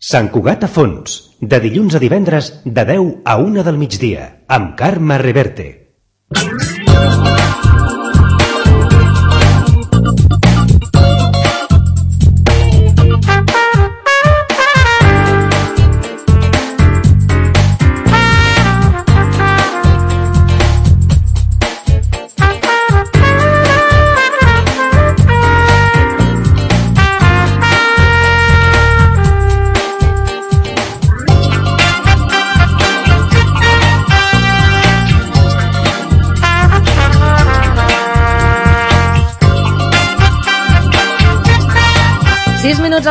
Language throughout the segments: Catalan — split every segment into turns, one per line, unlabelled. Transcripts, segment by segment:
Sant Cugat a fons, de dilluns a divendres de 10 a 1 del migdia, amb Carme Reverte.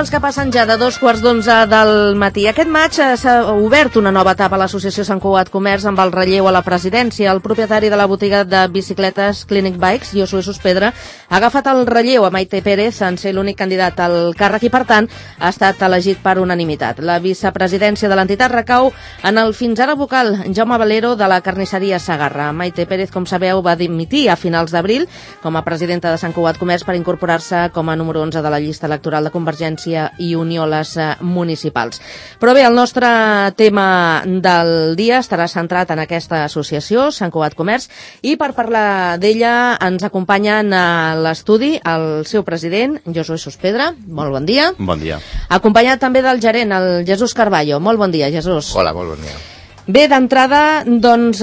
Els que passen ja de 2:15 del matí. Aquest maig s'ha obert una nova etapa a l'Associació Sant Cugat Comerç amb el relleu a la presidència. El propietari de la botiga de bicicletes Clinic Bikes, Josué Sospedra, ha agafat el relleu a Maite Pérez en ser l'únic candidat al càrrec i, per tant, ha estat elegit per unanimitat. La vicepresidència de l'entitat recau en el fins ara vocal Jaume Valero de la carnisseria Sagarra. Maite Pérez, com sabeu, va dimitir a finals d'abril com a presidenta de Sant Cugat Comerç per incorporar-se com a número 11 de la llista electoral de Convergència i Unió les municipals. Però bé, el nostre tema del dia estarà centrat en aquesta associació, Sant Cugat Comerç, i per parlar d'ella ens acompanyen a l'estudi el seu president, Josué Sospedra. Molt bon dia.
Bon dia.
Acompanyat també del gerent, el Jesús Carballo. Molt bon dia, Jesús.
Hola, molt bon dia.
Bé, d'entrada, doncs,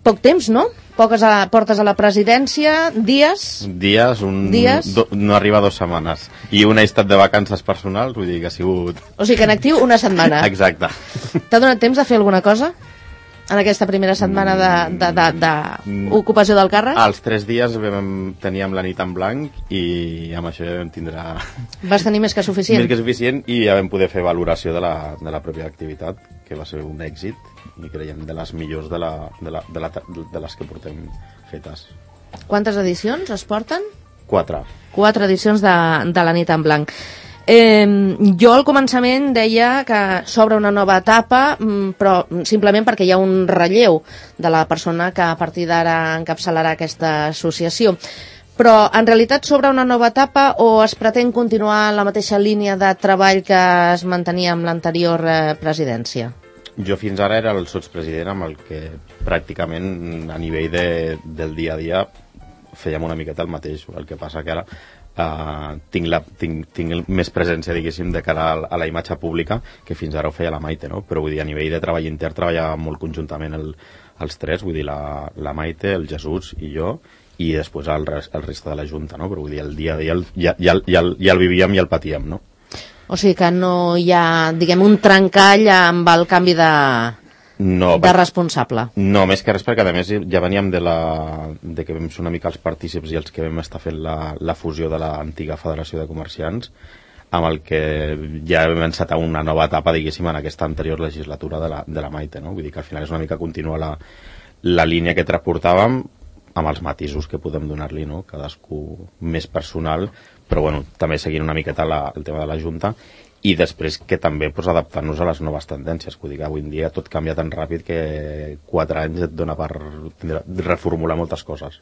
poc temps, no? Portes a la presidència, dies?
No arriba a 2 setmanes. I un he estat de vacances personals, vull dir que ha sigut...
O sigui que en actiu una setmana.
Exacte.
T'ha donat temps de fer alguna cosa en aquesta primera setmana d'ocupació del càrrec?
Els 3 dies teníem la nit en blanc i amb això ja vam tindrà...
Vas tenir més que suficient?
Més que suficient, i ja vam poder fer valoració de la pròpia activitat, que va ser un èxit, i creiem de les millors de les que portem fetes.
Quantes edicions es porten?
4.
4 edicions de la nit en blanc. Jo al començament deia que s'obre una nova etapa, però simplement perquè hi ha un relleu de la persona que a partir d'ara encapçalarà aquesta associació. Però en realitat s'obre una nova etapa o es pretén continuar la mateixa línia de treball que es mantenia amb l'anterior presidència?
Jo fins ara era el sotspresident amb el que pràcticament a nivell del dia a dia fèiem una miqueta el mateix. El que passa que ara tinc més presència, diguéssim, de cara a la imatge pública, que fins ara ho feia la Maite, no? Però vull dir, a nivell de treball intern treballàvem molt conjuntament els tres, vull dir, la Maite, el Jesús i jo, i després el resta de la Junta, no? Però vull dir, el dia a dia ja el vivíem i el patíem, no?
O sigui que no hi ha, diguem, un trencall amb el canvi de responsable.
No, més que res perquè a més ja veníem de que vam ser una mica els partícips i els que vam estar fent la fusió de l'antiga Federació de Comerciants, amb el que ja vam encetar una nova etapa, diguéssim, en aquesta anterior legislatura de la Maite, no? Vull dir que al final és una mica continuar la línia que transportàvem amb els matisos que podem donar-li, no? Cadascú més personal, però bueno, també seguint una miqueta el tema de la Junta, i després que també adaptant-nos a les noves tendències. Vull dir que avui en dia tot canvia tan ràpid que 4 anys et dona per reformular moltes coses.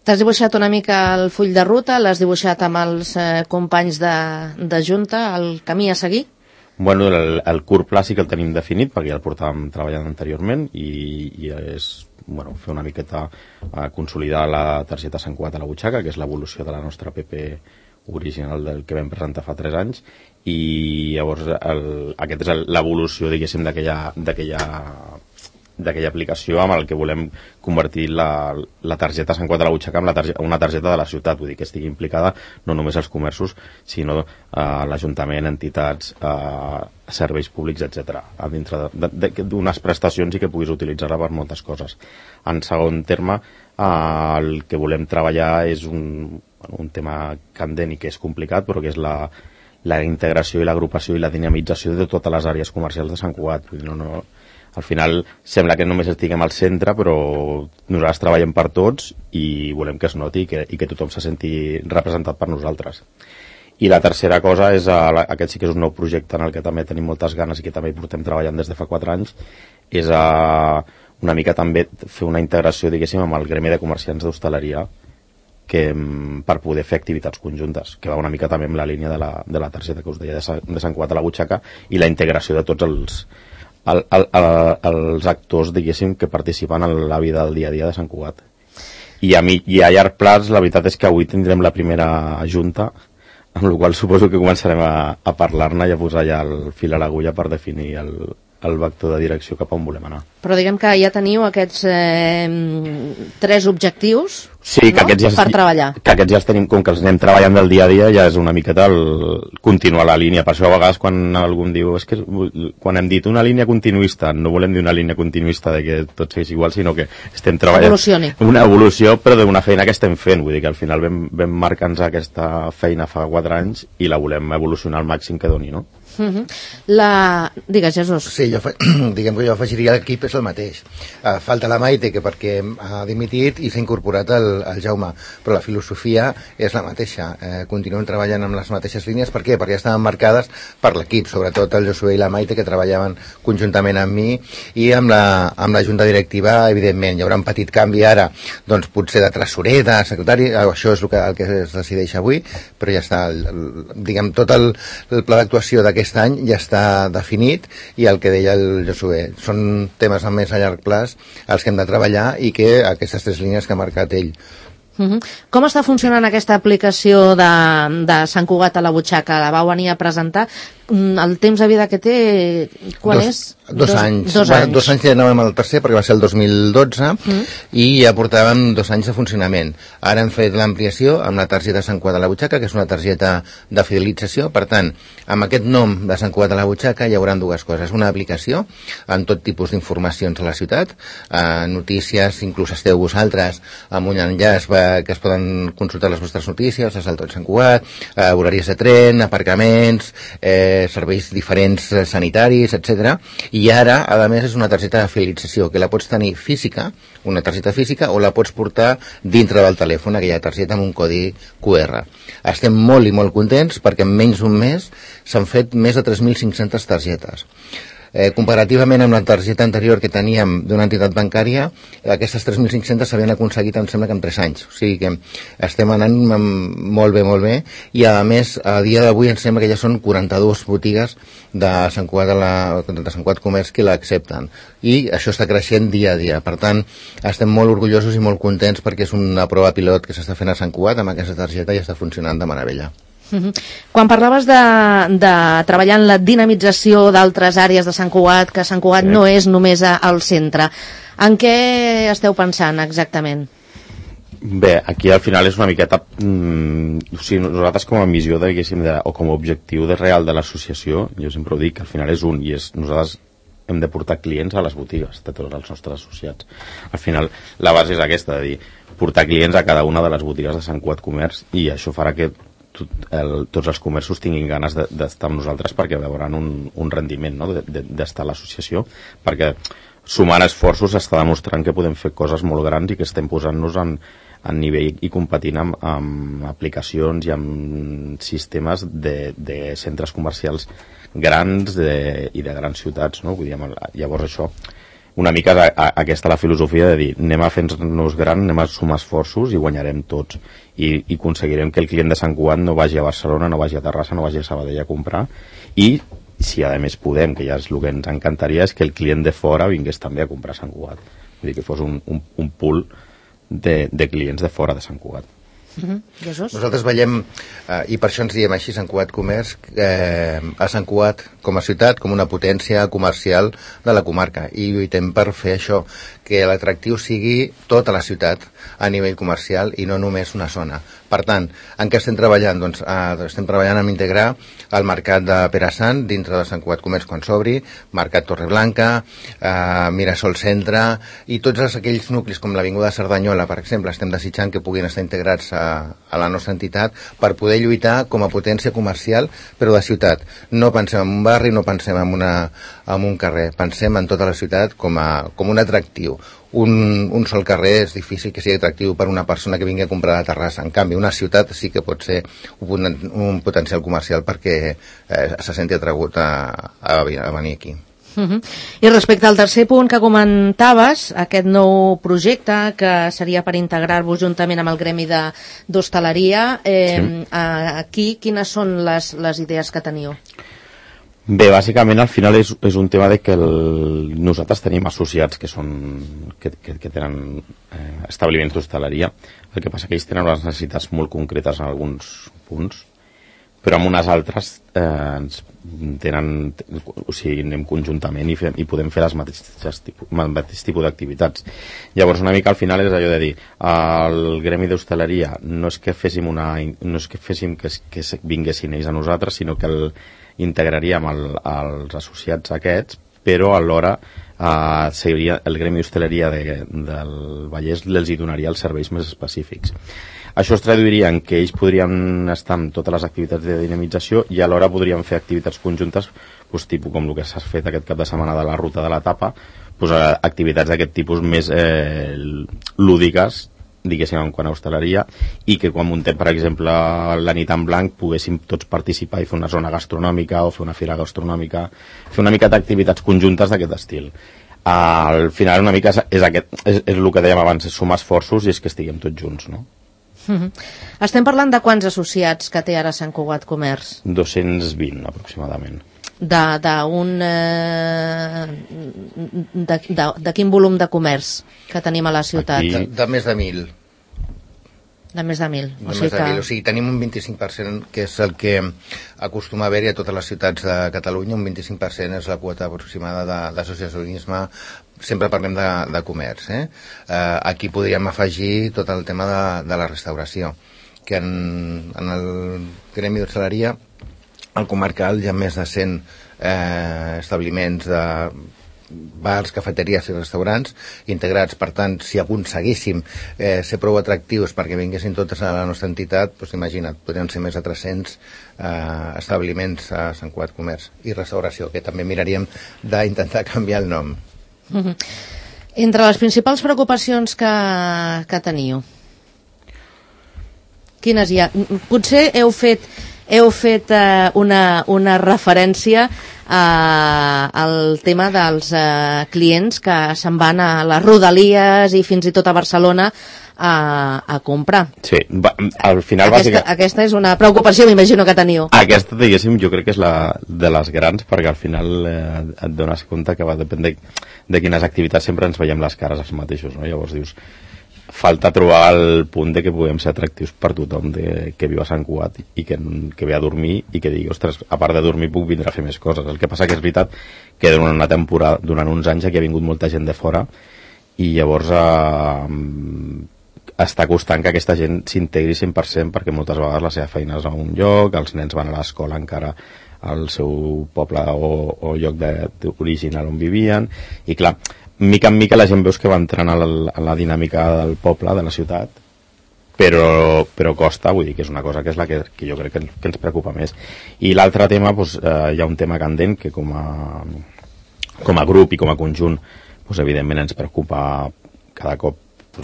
T'has dibuixat una mica el full de ruta, l'has dibuixat amb els companys de Junta, el camí a seguir?
Bueno, el curt pla sí que el tenim definit, perquè ja el portàvem treballant anteriorment, i és fer una miqueta consolidar la targeta Sant Cugat a la butxaca, que és l'evolució de la nostra PP original del que vam presentar fa 3 anys, i llavors aquesta és l'evolució, diguéssim, d'aquella aplicació amb el que volem convertir la targeta Sant Cugat a la butxaca en una targeta de la ciutat, vull dir que estigui implicada no només els comerços, sinó l'Ajuntament, entitats, serveis públics, etc. A dintre d'unes prestacions i que puguis utilitzar-la per moltes coses. En segon terme, el que volem treballar és un tema candent i que és complicat, però que és la integració i l'agrupació i la dinamització de totes les àrees comercials de Sant Cugat. Al final sembla que només estiguem al centre, però nosaltres treballem per tots i volem que es noti i que tothom se senti representat per nosaltres. I la tercera cosa és, aquest sí que és un nou projecte en el que també tenim moltes ganes i que també hi portem treballant des de fa 4 anys, és una mica també fer una integració, diguéssim, amb el gremi de comerciants d'hostaleria, per poder fer activitats conjuntes, que va una mica també amb la línia de la targeta que us deia de Sant Cugat a la butxaca, i la integració de tots els actors, diguéssim, que participen en la vida del dia a dia de Sant Cugat. I a llarg plaç, la veritat és que avui tindrem la primera junta, amb la qual suposo que començarem a parlar-ne i a posar ja el fil a l'agulla per definir el vector de direcció cap on volem anar.
Però diguem que ja teniu aquests 3 objectius,
sí, que
no? Per treballar.
Que aquests ja els tenim, com que els anem treballant del dia a dia, ja és una miqueta continuar la línia. Per això a vegades quan algú em diu, és que quan hem dit una línia continuista, no volem dir una línia continuista de que tot sigui igual, sinó que estem treballant una evolució, però d'una feina que estem fent. Vull dir que al final vam marcar-nos aquesta feina fa 4 anys i la volem evolucionar al màxim que doni, no?
Digues, Jesús.
Sí, diguem que jo afegiria l'equip és el mateix. Falta la Maite, que perquè ha dimitit, i s'ha incorporat el Jaume, però la filosofia és la mateixa. Continuem treballant amb les mateixes línies. Per què? Perquè estaven marcades per l'equip, sobretot el Josué i la Maite, que treballaven conjuntament amb mi, i amb la junta directiva, evidentment. Hi haurà un petit canvi ara, doncs potser de tresorer, de secretari, això és el que es decideix avui, però ja està, diguem, tot el pla d'actuació d'aquest any ja està definit, i el que deia el Josué, són temes a més a llarg plaç els que hem de treballar, i que aquestes 3 línies que ha marcat ell.
Com està funcionant aquesta aplicació de Sant Cugat a la butxaca? La vau venir a presentar. El temps de vida que té, quan és?
2 anys. 2 anys ja anàvem al tercer, perquè va ser el 2012, i ja portàvem 2 anys de funcionament. Ara hem fet l'ampliació amb la targeta Sant Cugat a la butxaca, que és una targeta de fidelització. Per tant, amb aquest nom de Sant Cugat a la butxaca hi haurà 2 coses. Una aplicació amb tot tipus d'informacions a la ciutat, notícies, inclús esteu vosaltres amb un enllaç que es poden consultar les vostres notícies, les del tot Sant Cugat, horaris de tren, aparcaments, serveis diferents sanitaris, etc. I ara, a més, és una targeta de fidelització, que la pots tenir física, una targeta física, o la pots portar dintre del telèfon, aquella targeta amb un codi QR. Estem molt i molt contents perquè en menys d'un mes s'han fet més de 3.500 targetes. Comparativament amb la targeta anterior que teníem d'una entitat bancària, aquestes 3.500 s'havien aconseguit, em sembla que en 3 anys. O sigui que estem anant molt bé, i a més, a dia d'avui em sembla que ja són 42 botigues de Sant Cugat Comerç que l'accepten, i això està creixent dia a dia. Per tant, estem molt orgullosos i molt contents perquè és una prova pilot que s'està fent a Sant Cugat amb aquesta targeta i està funcionant de meravella.
Quan parlaves de treballar en la dinamització d'altres àrees de Sant Cugat, que Sant Cugat no és només al centre, en què esteu pensant exactament?
Bé, aquí al final és una miqueta o sigui, nosaltres com a missió o com a objectiu real de l'associació, jo sempre ho dic, al final és i és nosaltres hem de portar clients a les botigues de tots els nostres associats. Al final la base és aquesta, de dir, portar clients a cada una de les botigues de Sant Cugat Comerç, i això farà que tots els comerços tinguin ganes d'estar amb nosaltres, perquè veuran un rendiment, no? d'estar a l'associació, perquè sumant esforços està demostrant que podem fer coses molt grans i que estem posant-nos en nivell i competint amb aplicacions i amb sistemes de centres comercials grans i de grans ciutats, no? Vull dir, llavors això una mica aquesta la filosofia de dir, anem a fer-nos gran, anem a sumar esforços i guanyarem tots, i aconseguirem que el client de Sant Cugat no vagi a Barcelona, no vagi a Terrassa, no vagi a Sabadell a comprar, i si a més podem, que ja és el que ens encantaria, és que el client de fora vingués també a comprar a Sant Cugat, vull dir que fos un pool de clients de fora de Sant Cugat.
Nosaltres veiem, i per això ens diem així Sant Cugat Comerç, a Sant Cugat com a ciutat, com una potència comercial de la comarca, i lluitem per fer això, que l'atractiu sigui tota la ciutat a nivell comercial i no només una zona. Per tant, en què estem treballant? Doncs estem treballant en integrar el mercat de Perassant dintre de Sant Cugat Comerç quan s'obri, Mercat Torreblanca, Mirasol Centre, i tots aquells nuclis com l'Avinguda Cerdanyola, per exemple, estem desitjant que puguin estar integrats a la nostra entitat per poder lluitar com a potència comercial, però de ciutat. No pensem en un barri, no pensem en un carrer, pensem en tota la ciutat com un atractiu. Un sol carrer és difícil que sigui atractiu per una persona que vingui a comprar a Terrassa. En canvi, una ciutat sí que pot ser un potencial comercial perquè se senti atragut a venir aquí.
I respecte al tercer punt que comentaves, aquest nou projecte que seria per integrar-vos juntament amb el gremi d'hostaleria, aquí quines són les idees que teniu?
Bé, bàsicament al final és un tema de que nosaltres tenim associats que tenen establiments d'hostaleria. El que passa que ells tenen unes necessitats molt concretes en alguns punts, però en unes altres anem conjuntament i podem fer el mateix tipus d'activitats. Llavors una mica al final és allò de dir, el gremi d'hostaleria no és que féssim que vinguessin ells a nosaltres, sinó que integraríem els associats aquests, però alhora el gremi d'hostaleria del Vallès els hi donaria els serveis més específics. Això es traduiria en que ells podrien estar en totes les activitats de dinamització i alhora podrien fer activitats conjuntes, tipus com el que s'ha fet aquest cap de setmana de la ruta de la tapa, activitats d'aquest tipus més lúdiques, diguéssim, en quant a hostaleria, i que quan muntem, per exemple, la nit en blanc, poguéssim tots participar i fer una zona gastronòmica o fer una fira gastronòmica, fer una mica d'activitats conjuntes d'aquest estil. Al final una mica és el que dèiem abans, és sumar esforços i és que estiguem tots junts, no?
Estem parlant de quants associats que té ara Sant Cugat Comerç?
220 aproximadament.
De quin volum de comerç que tenim a la ciutat?
De més de 1.000.
De més de 1.000.
O sigui, tenim un 25%, que és el que acostuma a haver-hi a totes les ciutats de Catalunya. Un 25% és la quota aproximada d'associacionisme. Sempre parlem de comerç. Aquí podríem afegir tot el tema de la restauració, que en el gremi d'hostaleria, al comarcal, hi ha més de 100 establiments de bars, cafeteries i restaurants integrats. Per tant, si aconseguíssim ser prou atractius perquè vinguessin totes a la nostra entitat, doncs imagina't, podrien ser més de 300 establiments a Sant Cugat Comerç. I restauració, que també miraríem d'intentar canviar el nom.
Entre les principals preocupacions que teniu, quines hi ha? Potser heu fet una referència al tema dels clients que se'n van a les Rodalies i fins i tot a Barcelona a comprar.
Sí, al final
aquesta és una preocupació, m'imagino, que teniu.
Aquesta, diguéssim, jo crec que és de les grans, perquè al final et dones compte que va depèn de quines activitats sempre ens veiem les cares els mateixos, no? Llavors dius, falta trobar el punt de que puguem ser atractius per tothom que viu a Sant Cugat i que ve a dormir i que digui, ostres, a part de dormir puc vindre a fer més coses. El que passa que és veritat que durant una temporada, durant uns anys aquí ha vingut molta gent de fora i llavors està costant que aquesta gent s'integri 100%, perquè moltes vegades la seva feina és a un lloc, els nens van a l'escola encara al seu poble o lloc original on vivien, i clar, mica en mica la gent veus que va entrant a la dinàmica del poble, de la ciutat, però costa, vull dir que és una cosa que és la que jo crec que ens preocupa més. I l'altre tema, hi ha un tema candent que com a grup i com a conjunt, evidentment ens preocupa cada cop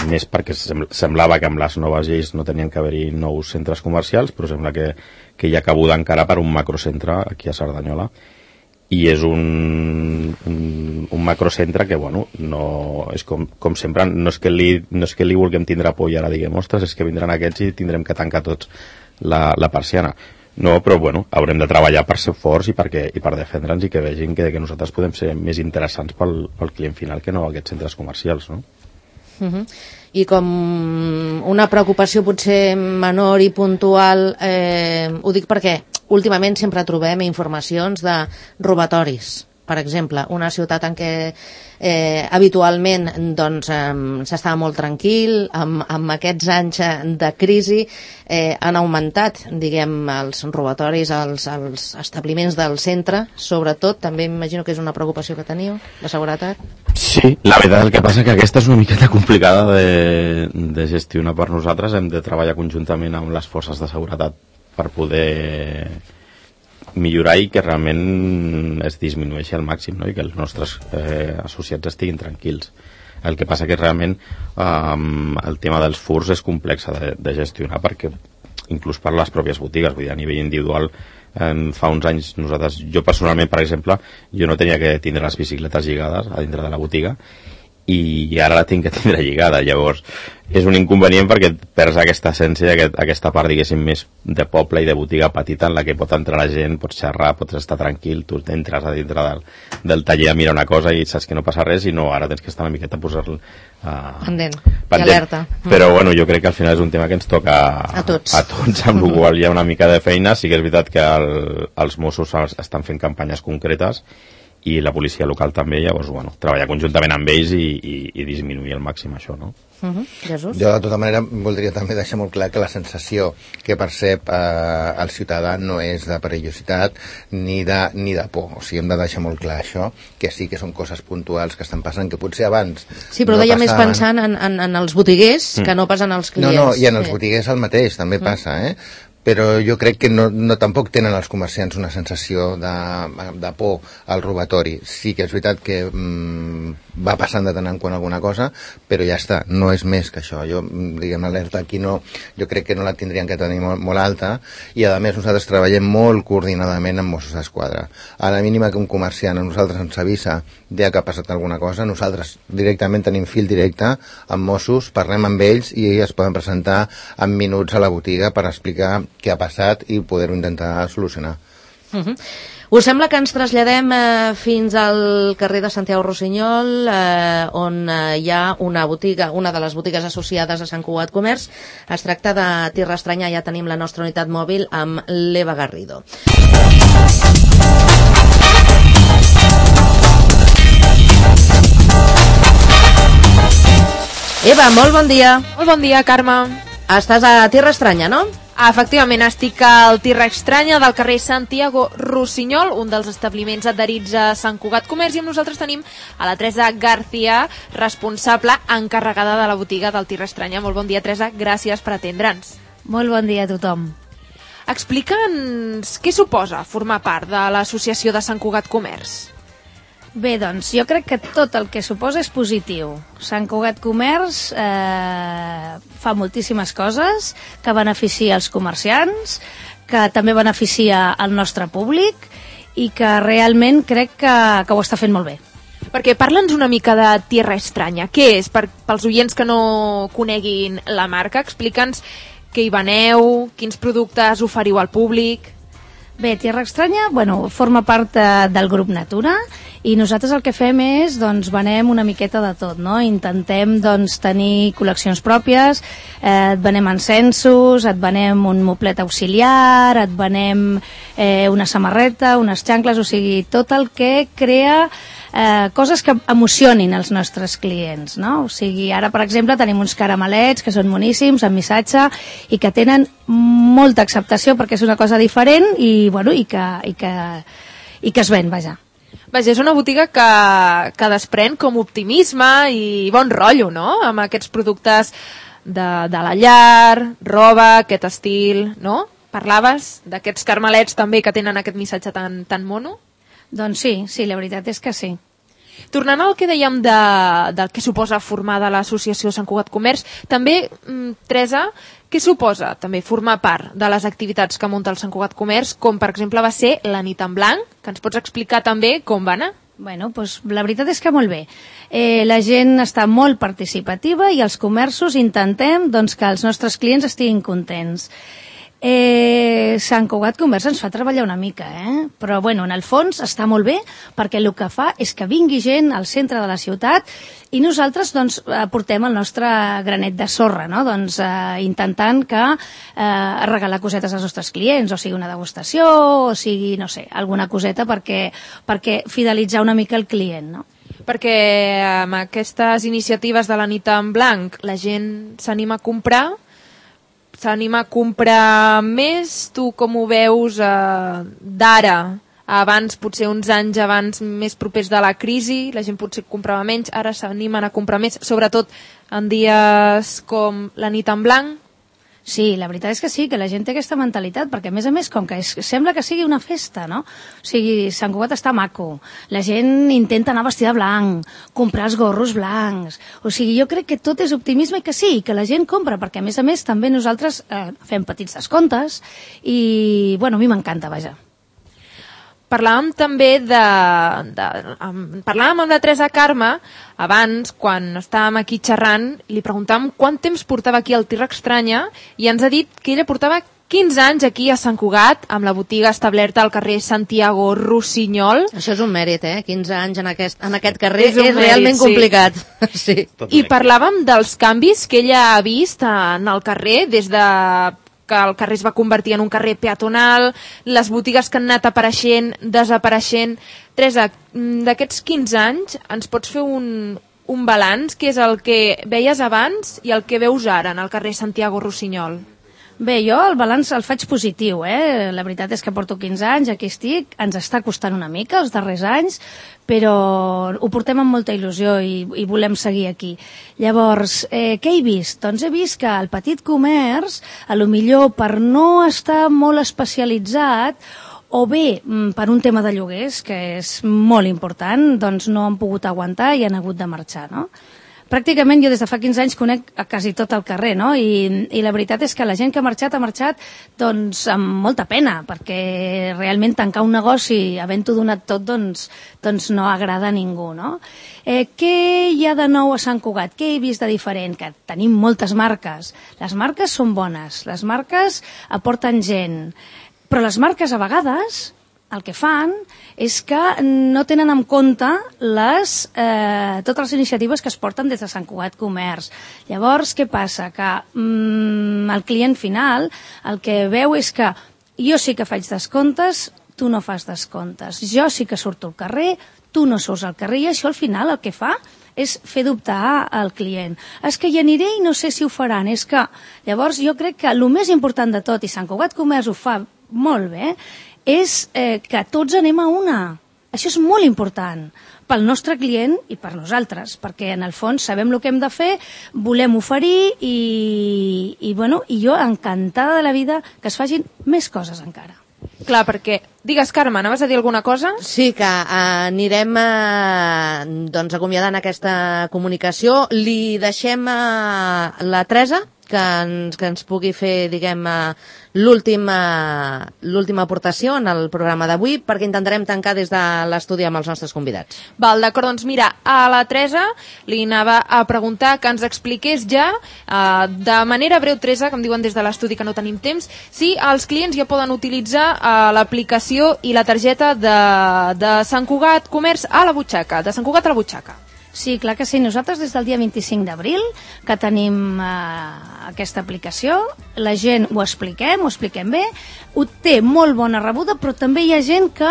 més, perquè semblava que amb les noves lleis no tenien que haver-hi nous centres comercials, però sembla que hi ha cabuda encara per un macrocentre aquí a Cerdanyola, i és un macrocentre que, bueno, no, és com sempre, no és que li vulguem tindre por i ara diguem, ostres, és que vindran aquests i tindrem que tancar tots la persiana. No, però bueno, haurem de treballar per ser forts i per defendre'ns i que vegin que nosaltres podem ser més interessants pel client final que no aquests centres comercials, no?
I com una preocupació potser menor i puntual, ho dic perquè últimament sempre trobem informacions de robatoris. Per exemple, una ciutat en què habitualment s'estava molt tranquil, amb aquests anys de crisi han augmentat, diguem, els robatoris als establiments del centre, sobretot. També m'imagino que és una preocupació que teniu, la seguretat.
Sí, la veritat, el que passa que aquesta és una miqueta complicada de gestionar per nosaltres. Hem de treballar conjuntament amb les forces de seguretat per poder millorar i que realment es disminueixi al màxim, no? I que els nostres associats estiguin tranquils. El que passa que realment el tema dels furts és complex de gestionar, perquè inclús per les pròpies botigues, vull dir, a nivell individual fa uns anys jo personalment, per exemple, jo no tenia que tindre les bicicletes lligades a dintre de la botiga, i ara la tinc que tindre lligada. Llavors és un inconvenient perquè perds aquesta essència, aquesta part, diguéssim, més de poble i de botiga petita en la que pot entrar la gent, pots xerrar, pots estar tranquil, tu entres a dintre del taller a mirar una cosa i saps que no passa res, i no, ara tens que estar una miqueta a posar-lo
pendent i alerta.
Però bueno, jo crec que al final és un tema que ens toca
a tots,
amb el qual hi ha una mica de feina. Sí que és veritat que els Mossos estan fent campanyes concretes i la policia local també, llavors, bueno, treballar conjuntament amb ells i disminuir al màxim això, no?
Jesús?
Jo, de tota manera, voldria també deixar molt clar que la sensació que percep el ciutadà no és de perillositat ni de por. O sigui, hem de deixar molt clar això, que sí que són coses puntuals que estan passant, que potser abans...
Sí, però deia més pensant en els botiguers que no pas en els clients.
No, i en els botiguers el mateix, també passa, però jo crec que no tampoc tenen els comerciants una sensació de por al robatori. Sí que és veritat que va passant de tant en quant alguna cosa, però ja està, no és més que això. Jo, diguem, l'alerta aquí jo crec que no la tindrien que tenir molt alta, i a més nosaltres treballem molt coordinadament amb Mossos d'Esquadra. A la mínima que un comerciant a nosaltres ens avisa que ha passat alguna cosa, nosaltres directament tenim fil directe amb Mossos, parlem amb ells i es poden presentar en minuts a la botiga per explicar què ha passat i poder-ho intentar solucionar.
Us sembla que ens traslladem fins al carrer de Santiago Rossinyol, on hi ha una botiga, una de les botigues associades a Sant Cugat Comerç. Es tracta de Tierra Estranya, ja tenim la nostra unitat mòbil amb l'Eva Garrido. Eva, molt bon dia.
Molt bon dia, Carme.
Estàs a Tierra Estranya, no?
Efectivament, estic al Tierra Estranya del carrer Santiago Rossinyol, un dels establiments adherits a Sant Cugat Comerç, i amb nosaltres tenim a la Teresa García, responsable encarregada de la botiga del Tierra Estranya. Molt bon dia, Teresa, gràcies per atendre'ns.
Molt bon dia a tothom.
Explica'ns què suposa formar part de l'associació de Sant Cugat Comerç.
Bé, doncs, jo crec que tot el que suposa és positiu. Sant Cugat Comerç fa moltíssimes coses que beneficia els comerciants, que també beneficia el nostre públic i que realment crec que ho està fent molt bé.
Perquè parla'ns una mica de Tierra Estranya. Què és? Pels oients que no coneguin la marca, explica'ns què hi veneu, quins productes oferiu al públic.
Bé, Tierra Estranya, forma part del grup Natura, i nosaltres el que fem és, venem una miqueta de tot, no? Intentem, tenir col·leccions pròpies, et venem encensos, et venem un moplet auxiliar, et venem una samarreta, unes xancles, o sigui, tot el que crea coses que emocionin els nostres clients, no? O sigui, ara, per exemple, tenim uns caramelets que són boníssims, amb missatge, i que tenen molta acceptació perquè és una cosa diferent i que es ven, vaja.
Vaja, és una botiga que desprèn com optimisme i bon rotllo, no?, amb aquests productes de la llar, roba, aquest estil, no? Parlaves d'aquests caramelets també que tenen aquest missatge tan mono?
Doncs sí, la veritat és que sí.
Tornant al que dèiem del que suposa formar de l'associació Sant Cugat Comerç, també, Teresa, què suposa també formar part de les activitats que munta el Sant Cugat Comerç, com per exemple va ser la nit en blanc, que ens pots explicar també com va anar?
Doncs la veritat és que molt bé. La gent està molt participativa i els comerços intentem que els nostres clients estiguin contents. Sant Cugat Comerç ens fa treballar una mica, però en el fons està molt bé perquè el que fa és que vingui gent al centre de la ciutat i nosaltres aportem el nostre granet de sorra, no? Intentant regalar cosetes als nostres clients, o sigui una degustació, o sigui, no sé, alguna coseta perquè fidelitzar una mica el client, no?
Perquè amb aquestes iniciatives de la nit en blanc la gent s'anima a comprar més. Tu com ho veus d'ara, abans, potser uns anys abans, més propers de la crisi, la gent potser comprava menys, ara s'animen a comprar més, sobretot en dies com la nit en blanc?
Sí, la veritat és que sí, que la gent té aquesta mentalitat, perquè a més, com que sembla que sigui una festa, no? O sigui, Sant Cugat està maco, la gent intenta anar vestida de blanc, comprar els gorros blancs, o sigui, jo crec que tot és optimisme i que sí, que la gent compra, perquè a més també nosaltres fem petits descomptes i, bueno, a mi m'encanta, vaja.
Parlàvem també parlàvem amb la Teresa Carme abans, quan estàvem aquí xerrant, i li preguntàvem quant temps portava aquí al Terra Estranya i ens ha dit que ella portava 15 anys aquí a Sant Cugat, amb la botiga establerta al carrer Santiago Rossinyol.
Això és un mèrit, 15 anys en aquest carrer és
mèrit,
realment complicat. Sí.
I parlàvem dels canvis que ella ha vist en el carrer, des de que el carrer es va convertir en un carrer peatonal, les botigues que han anat apareixent, desapareixent. Teresa, d'aquests 15 anys ens pots fer un balanç, que és el que veies abans i el que veus ara en el carrer Santiago Rossinyol?
Bé, jo el balanç el faig positiu, La veritat és que porto 15 anys, aquí estic, ens està costant una mica els darrers anys, però ho portem amb molta il·lusió i volem seguir aquí. Llavors, què he vist? Doncs he vist que el petit comerç, a lo millor per no estar molt especialitzat, o bé per un tema de lloguers, que és molt important, doncs no han pogut aguantar i han hagut de marxar, no? Pràcticament jo des de fa 15 anys conec a quasi tot el carrer, no? I la veritat és que la gent que ha marxat doncs amb molta pena, perquè realment tancar un negoci havent-ho donat tot doncs no agrada a ningú, no? Què hi ha de nou a Sant Cugat? Què he vist de diferent? Que tenim moltes marques. Les marques són bones, les marques aporten gent, però les marques a vegades el que fan és que no tenen en compte totes les iniciatives que es porten des de Sant Cugat Comerç. Llavors, què passa? Que el client final el que veu és que jo sí que faig descomptes, tu no fas descomptes. Jo sí que surto al carrer, tu no surts al carrer, i això al final el que fa és fer dubtar al client. És que hi aniré i no sé si ho faran. És que, llavors, jo crec que el més important de tot, i Sant Cugat Comerç ho fa molt bé, és que tots anem a una. Això és molt important pel nostre client i per nosaltres, perquè en el fons sabem el que hem de fer, volem oferir i jo encantada de la vida que es facin més coses encara.
Clar, perquè... Digues, Carme, anaves a dir alguna cosa?
Sí, que anirem acomiadant aquesta comunicació. Li deixem a la Teresa que ens pugui fer, diguem, l'última aportació en el programa d'avui, perquè intentarem tancar des de l'estudi amb els nostres convidats.
Val, d'acord, doncs mira, a la Teresa li anava a preguntar que ens expliqués ja, de manera breu, Teresa, que em diuen des de l'estudi que no tenim temps, si els clients ja poden utilitzar l'aplicació i la targeta de Sant Cugat Comerç a la butxaca, de Sant Cugat a la butxaca.
Sí, clar que sí. Nosaltres des del dia 25 d'abril que tenim aquesta aplicació, la gent ho expliquem bé, ho té molt bona rebuda, però també hi ha gent que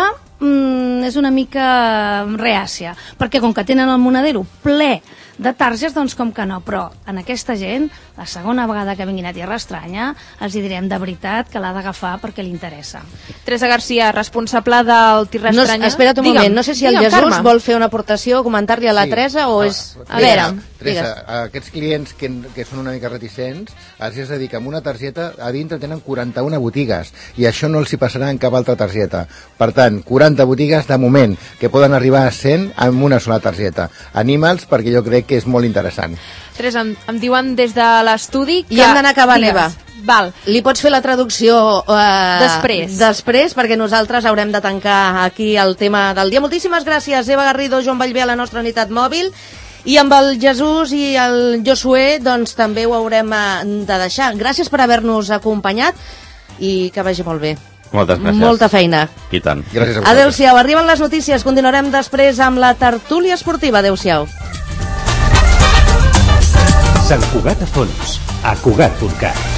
és una mica reàcia, perquè com que tenen el monedero ple de targes, doncs com que no, però en aquesta gent, la segona vegada que vinguin a Terra Estranya, els hi direm de veritat que l'ha d'agafar perquè li interessa.
Teresa Garcia, responsable del Terra Estranya.
Espera't un moment, no sé si el Jesús vol fer una aportació, comentar-li a la Teresa o és...
A veure, Teresa, aquests clients que són una mica reticents, els has de dir que amb una targeta a dintre tenen 41 botigues i això no els hi passarà en cap altra targeta. Per tant, 40 botigues de moment que poden arribar a 100 amb una sola targeta. Anima'ls perquè jo crec que és molt interessant.
Teresa, em diuen des de l'estudi que...
I hem d'anar acabant, Eva.
Val.
Li pots fer la traducció
després,
perquè nosaltres haurem de tancar aquí el tema del dia. Moltíssimes gràcies, Eva Garrido, Joan Vallvé, a la nostra unitat mòbil. I amb el Jesús i el Josué doncs també ho haurem de deixar. Gràcies per haver-nos acompanyat i que vagi molt bé.
Moltes gràcies.
Molta feina.
I tant.
Gràcies a vosaltres.
Adéu-siau. Arriben les notícies. Continuarem després amb la tertúlia esportiva. Adéu-siau.
Sant Cugat a fons, a Cugat.cat.